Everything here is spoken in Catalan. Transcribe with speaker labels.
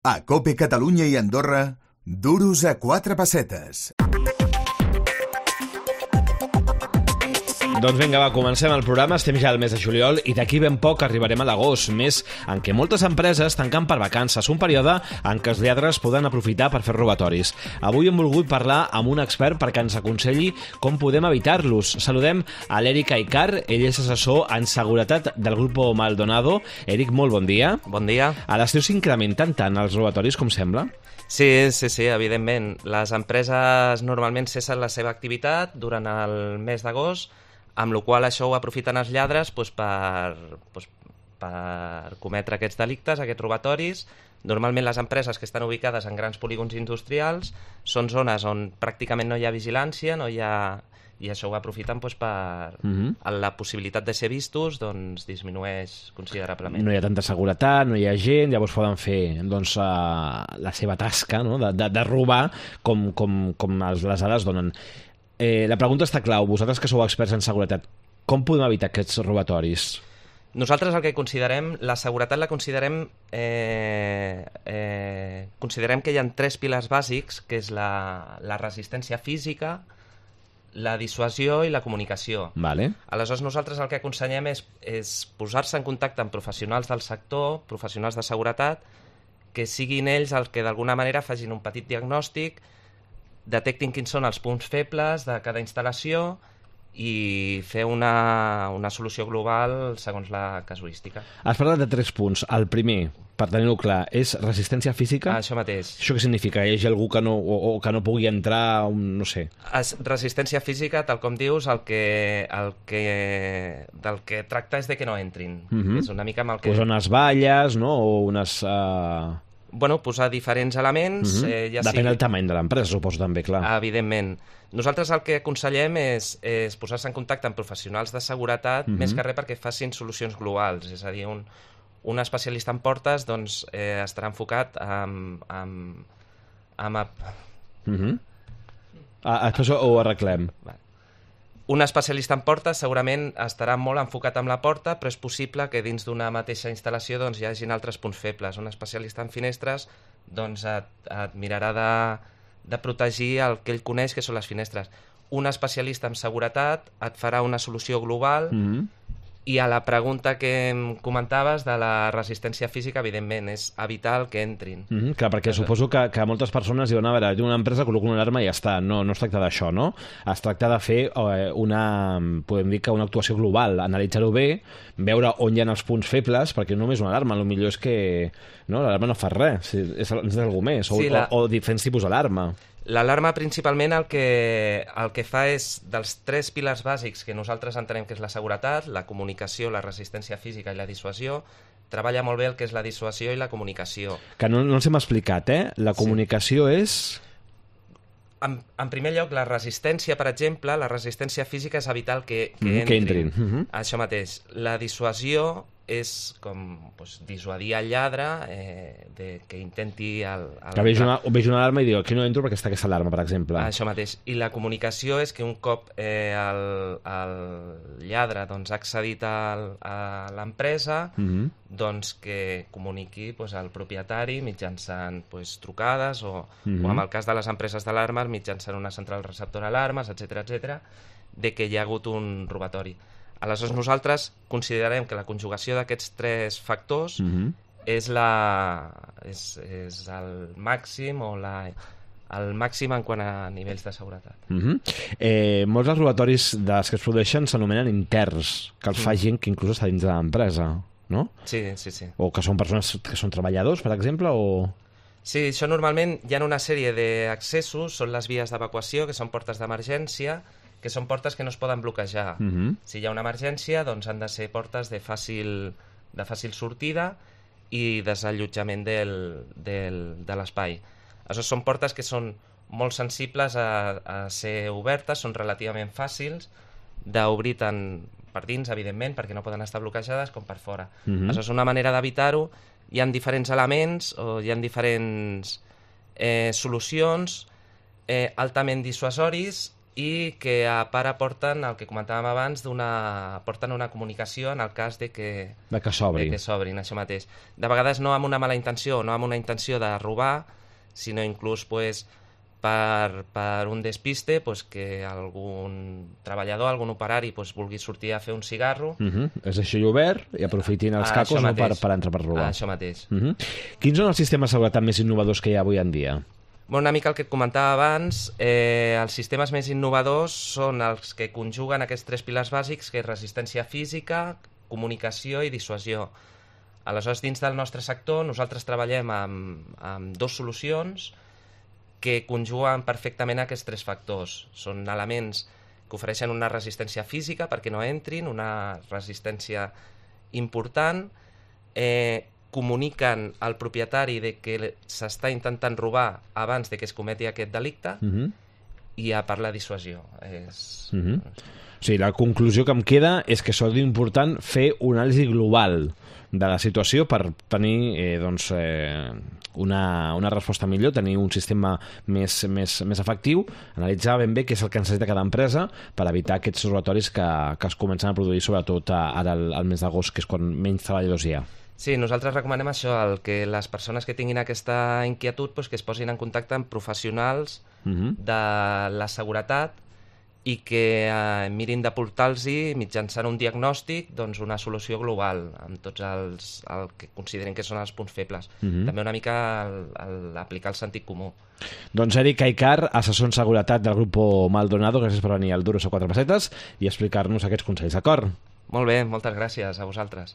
Speaker 1: A COPE Catalunya i Andorra, duros a 4 pessetes.
Speaker 2: Doncs vinga, va, comencem el programa. Estem ja al mes de juliol i d'aquí ben poc arribarem a l'agost, mes en què moltes empreses tanquen per vacances, un període en què els lladres poden aprofitar per fer robatoris. Avui hem volgut parlar amb un expert perquè ens aconselli com podem evitar-los. Saludem a l'Eric Aicar, ell és assessor en seguretat del Grupo Maldonado. Eric, molt bon dia.
Speaker 3: Bon dia.
Speaker 2: A l'estiu s'incrementen tant els robatoris com sembla?
Speaker 3: Sí, evidentment. Les empreses normalment cessen la seva activitat durant el mes d'agost, amb la qual això ho aprofiten els lladres per cometre aquests delictes, aquests robatoris. Normalment les empreses que estan ubicades en grans polígons industrials són zones on pràcticament no hi ha vigilància, i això ho aprofiten la possibilitat de ser vistos disminueix considerablement.
Speaker 2: No hi ha tanta seguretat, no hi ha gent, llavors poden fer la seva tasca, no? de robar com les dades donen. La pregunta està clau. Vosaltres que sou experts en seguretat, com podem evitar aquests robatoris?
Speaker 3: Nosaltres el que considerem, la seguretat la considerem que hi ha 3 pilars bàsics, que és la resistència física, la dissuasió i la comunicació.
Speaker 2: Vale.
Speaker 3: Aleshores nosaltres el que aconsellem és posar-se en contacte amb professionals del sector, professionals de seguretat, que siguin ells els que d'alguna manera facin un petit diagnòstic, detectin quins són els punts febles de cada instal·lació i fer una solució global segons la casuística.
Speaker 2: Has parlat de 3 punts. El primer, per tenir-ho clar, és resistència física?
Speaker 3: Això mateix.
Speaker 2: Això què significa? Hi hagi algú que no pugui entrar, no sé.
Speaker 3: Resistència física, tal com dius, del que tracta és de que no entrin. És una mica amb el que...
Speaker 2: Pues unes valles, no? O unes...
Speaker 3: posar diferents elements...
Speaker 2: Depèn del tamany de l'empresa, suposo també, clar.
Speaker 3: Evidentment. Nosaltres el que aconsellem és posar-se en contacte amb professionals de seguretat, més que res perquè facin solucions globals. És a dir, un especialista en portes estarà enfocat
Speaker 2: Després ho arreglem.
Speaker 3: Un especialista en portes segurament estarà molt enfocat amb la porta, però és possible que dins d'una mateixa instal·lació hi hagin altres punts febles. Un especialista en finestres et mirarà de protegir el que ell coneix, que són les finestres. Un especialista en seguretat et farà una solució global i a la pregunta que em comentaves de la resistència física, evidentment, és evitar el que entrin.
Speaker 2: Clar, perquè suposo que moltes persones diuen, a veure, una empresa col·loca una alarma i ja està. No es tracta d'això, no? Es tracta de fer podem dir que una actuació global, analitzar-ho bé, veure on hi ha els punts febles, perquè no només una alarma, el millor és que l'alarma no fa res, és alguna més, o diferents tipus d'alarma.
Speaker 3: L'alarma principalment el que fa és, dels 3 pilars bàsics que nosaltres entenem que és la seguretat, la comunicació, la resistència física i la dissuasió, treballa molt bé el que és la dissuasió i la comunicació.
Speaker 2: Que no ens hem explicat, La comunicació és...
Speaker 3: En primer lloc, la resistència, per exemple, la resistència física és evitar que entrin. Això mateix. La dissuasió és com dissuadir el lladre que intenti...
Speaker 2: Que vegi una alarma i diu, aquí no entro perquè està aquesta alarma, per exemple.
Speaker 3: Això mateix. I la comunicació és que un cop el lladre ha accedit a l'empresa, que comuniqui al propietari mitjançant trucades o en el cas de les empreses d'alarmes mitjançant una central receptora d'alarmes, etc., de que hi ha hagut un robatori. Aleshores nosaltres considerem que la conjugació d'aquests 3 factors és el màxim el màxim en quant a nivells de seguretat.
Speaker 2: Molts dels robatoris dels que es produeixen s'anomenen interns, que els fa gent que inclús està dins de l'empresa, no?
Speaker 3: Sí.
Speaker 2: O que són persones que són treballadors, per exemple, o...
Speaker 3: Sí, això normalment hi ha una sèrie d'accessos, són les vies d'evacuació, que són portes d'emergència, que són portes que no es poden bloquejar. Si hi ha una emergència, han de ser portes de fàcil sortida i desallotjament de l'espai. Aleshores, són portes que són molt sensibles a ser obertes, són relativament fàcils d'obrir tant per dins, evidentment, perquè no poden estar bloquejades, com per fora. Aleshores, una manera d'evitar-ho, hi ha diferents elements o hi ha diferents solucions altament dissuasoris i que a part aporten el que comentàvem abans, aporten una comunicació en el cas de que s'obrin, això mateix. De vegades no amb una mala intenció, no amb una intenció de robar, sinó inclús per un despiste, que algun treballador, algun operari vulgui sortir a fer un cigarro.
Speaker 2: És així obert i aprofitin els cacos per entrar per robar.
Speaker 3: Això mateix.
Speaker 2: Quins són els sistemes de seguretat més innovadors que hi ha avui en dia?
Speaker 3: Una mica el que et comentava abans, els sistemes més innovadors són els que conjuguen aquests 3 pilars bàsics, que és resistència física, comunicació i dissuasió. Aleshores, dins del nostre sector, nosaltres treballem amb 2 solucions que conjuguen perfectament aquests 3 factors. Són elements que ofereixen una resistència física perquè no entrin, una resistència important, comuniquen al propietari de que s'està intentant robar abans de que es cometi aquest delicte i a part la dissuasió.
Speaker 2: O sigui, la conclusió que em queda és que és important fer una anàlisi global de la situació per tenir una resposta millor, tenir un sistema més efectiu, analitzar ben bé què és el que necessita cada empresa per evitar aquests robatoris que es comencen a produir, sobretot ara al mes d'agost, que és quan menys treballadors hi ha.
Speaker 3: Sí, nosaltres recomanem això, que les persones que tinguin aquesta inquietud que es posin en contacte amb professionals de la seguretat i que mirin d'aportar-los mitjançant un diagnòstic una solució global amb tots el que consideren que són els punts febles. També una mica aplicar el sentit comú.
Speaker 2: Doncs Eric Aycar, assessor en seguretat del grup Maldonado, gràcies per venir al Duros a 4 pessetes i explicar-nos aquests consells, d'acord?
Speaker 3: Molt bé, moltes gràcies a vosaltres.